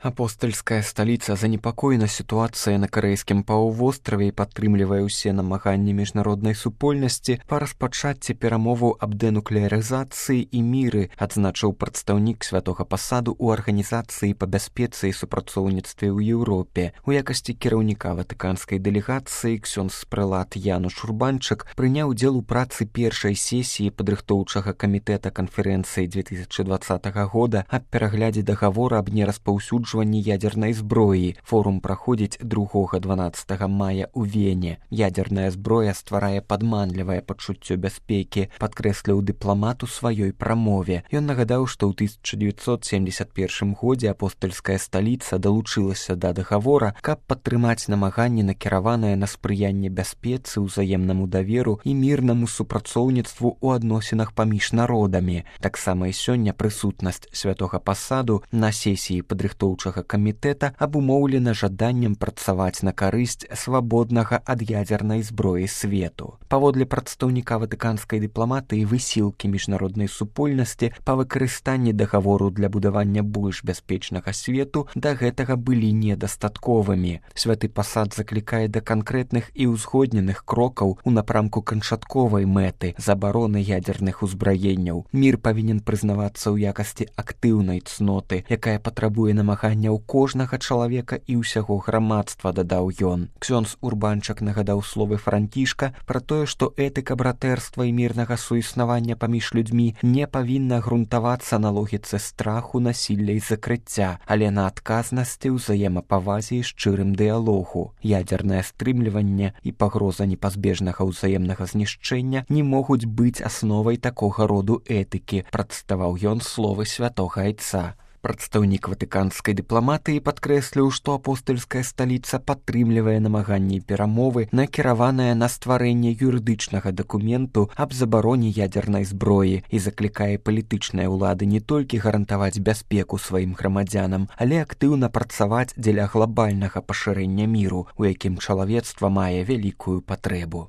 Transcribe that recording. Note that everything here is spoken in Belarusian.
Апостальская сталіца занепакоена сітуацыяй на карэйскім паўвостраве і падтрымлівае ўсе намаганні міжнароднай супольнасці па распачацці перамоваў аб дэнуклеарызацыі і міры, адзначыў прадстаўнік святога пасаду ў арганізацыі па бяспецы і супрацоўніцтве ў Еўропе. У якасці кіраўніка ватыканскай дэлегацыі ксёндз-прэлат Януш Урбанчык прыняў удзел у працы першай сесіі падрыхтоўчага камітэта канферэнцыі 2020 года аб пераглядзе дагавора аб нераспаўсюджванні ядерной зброі. Форум праходзіць 2-12 мая ў Вене. Ядерная зброя стварае падманлівае пачуццё бяспекі, падкрэсліў дыпламат у сваёй прамове. Ён нагадаў, што ў 1971 годзе апостальская сталіца далучылася да дагавора, каб падтрымаць намаганні, накіраваныя на спрыянне бяспецы, узаемнаму даверу і мірнаму супрацоўніцтву ў адносінах паміж народамі. Таксама і сёння прысутнасць святога пасаду на сесіі падрыхтоўчага камітэта абумоўлена жаданнем працаваць на карысць свабоднага ад ядзернай зброі свету. Паводле прадстаўніка ватыканскай дыпламатыі, высілкі міжнароднай супольнасці па выкарыстанні дагавору для будавання больш бяспечнага свету да гэтага былі недастатковымі. Святы пасад заклікае да канкрэтных і ўзгодненых крокаў у напрамку канчатковай мэты забароны ядзерных узбраенняў. Мір павінен прызнавацца ў якасці актыўнай цноты, якая патрабуе намаганняў кожнага чалавека і ўсяго грамадства, дадаў ён. Ксёндз Урбанчык нагадаў словы Францішка пра тое, што этыка братэрства і мірнага суіснавання паміж людзьмі не павінна грунтавацца на логіцы страху, насілля і закрыцця, але на адказнасці, ўзаемапавазе і шчырым дыялогу. Ядзернае стрымліванне і пагроза непазбежнага ўзаемнага знішчэння не могуць быць асновай такога роду этыкі, прадставаў ён словы святога айца. Прадстаўнік ватыканскай дыпламатыі падкрэсліў, што апостальская сталіца падтрымлівае намаганні і перамовы, накіраваныя на стварэнне юрыдычнага дакументу аб забароне ядзернай зброі і заклікае палітычныя ўлады не толькі гарантаваць бяспеку сваім грамадзянам, але актыўна працаваць дзеля глабальнага пашырэння міру, у якім чалавецтва мае вялікую патрэбу.